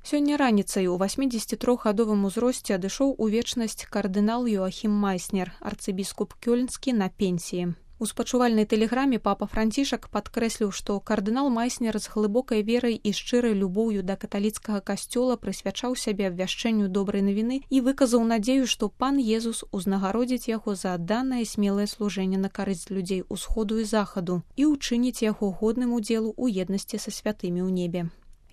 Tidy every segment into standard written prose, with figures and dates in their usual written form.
Сёння раніцай у 83гадовым узросце адышоў у вечнасць кардынал Йоахім Майснер, арцыбіскуп кёльнскі на пенсіі. У спачувальнай тэлеграме папа Францішак падкрэсліў, што кардынал Майснер з глыбокай верай і шчырай любоўю да каталіцкага касцёла прысвячаў сябе абвяшчэнню добрай навіны і выказаў надзею, што пан Езус узнагародзіць яго за адданае смелае служэнне на карысць людзей усходу і захаду і ўчыніць яго годным удзелу ў еднасці са святымі ў небе.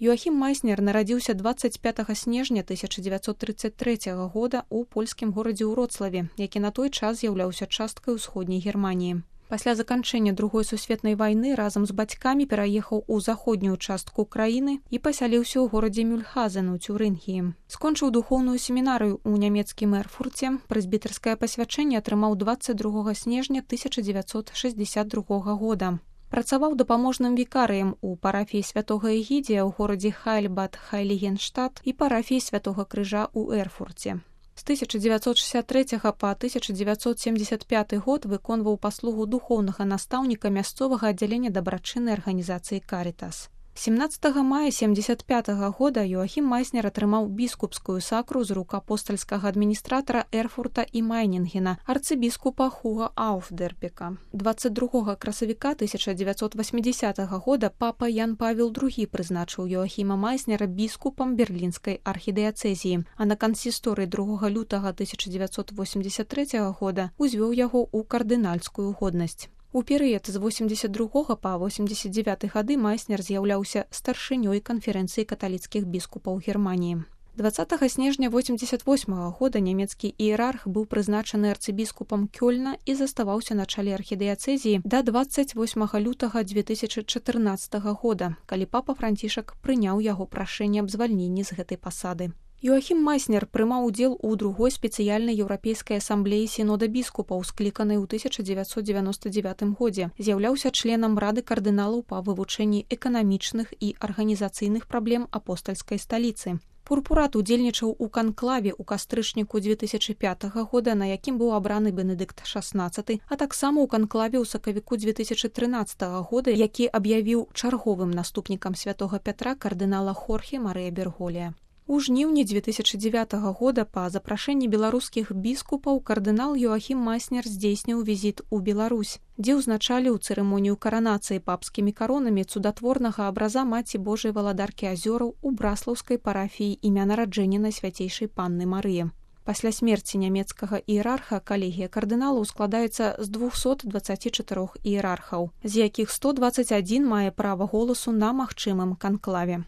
Йоахім Майснер нарадзіўся 25 снежня 1933 года ў польскім горадзе Вроцлаве, які на той час з'яўляўся часткай усходняй Германіі. Пасля заканчэння Другой сусветнай вайны разам з бацькамі пераехаў у заходнюю частку краіны і пасяліўся ў горадзе Мюльхазен у Цюрынгіі. Скончыў духоўную семінарыю ў нямецкім Эрфурце, прэзбітарскае пасвячэнне атрымаў 22 снежня 1962 года. Працаваў дапаможным вікарыем у парафіі святога Эгідзія ў горадзе Хайльбад-Хайлігенштадт і парафіі святога Крыжа ў Эрфурце. З 1963 па 1975 год выконваў паслугу духоўнага настаўніка мясцовага аддзялення дабрачыннай арганізацыі «Карітас». 17 мая 1975 года Йоахім Майснер атрымаў біскупскую сакру з рук апостальскага адміністратара Эрфурта і Майнінгена, арцыбіскупа Хуга Ауфдербека. 22 красавіка 1980 года папа Ян Павел II прызначыў Йоахіма Майснера біскупам берлінскай архідыяцэзіі, а на кансісторыі 2 лютага 1983 года узвёў яго ў кардынальскую годнасць. У перыяд з 82 па 89 гады Майснер з'яўляўся старшынёй канферэнцыі каталіцкіх біскупаў Германіі. 20 снежня 88 года нямецкі іерарх быў прызначаны арцыбіскупам Кёльна і заставаўся на чале архідыяцэзіі да 28 лютага 2014 года, калі папа Францішак прыняў яго прашэнне аб звальненні з гэтай пасады. Йоахім Майснер прымаў удзел у другой спецыяльнай еўрапейскай асамблеі сінода біскупаў, скліканай у 1999 годзе. З'яўляўся членам рады кардыналаў па вывучэнні эканамічных і арганізацыйных праблем апостальскай сталіцы. Пурпурат удзельнічаў у канклаве ў кастрычніку 2005 года, на якім быў абраны Бенедыкт XVI, а таксама ў канклаве ў сакавіку 2013 года, які аб'явіў чарговым наступнікам святога Пятра кардынала Хорхе Марыя Берголія. У жніўні 2009 года па запрашэнні беларускіх біскупаў кардынал Йоахім Майснер здзейсніў візіт у Беларусь, дзе ўзначаліў цырымонію каранацыі папскімі каронамі цудатворнага абраза Маці Божай Валадаркі азёраў у браслаўскай парафіі імя нараджэння Найсвяцейшай Панны Марыі. Пасля смерці нямецкага іерарха калегія кардыналаў складаецца з 224 іерархаў, з якіх 121 мае права голасу на магчымым канклаве.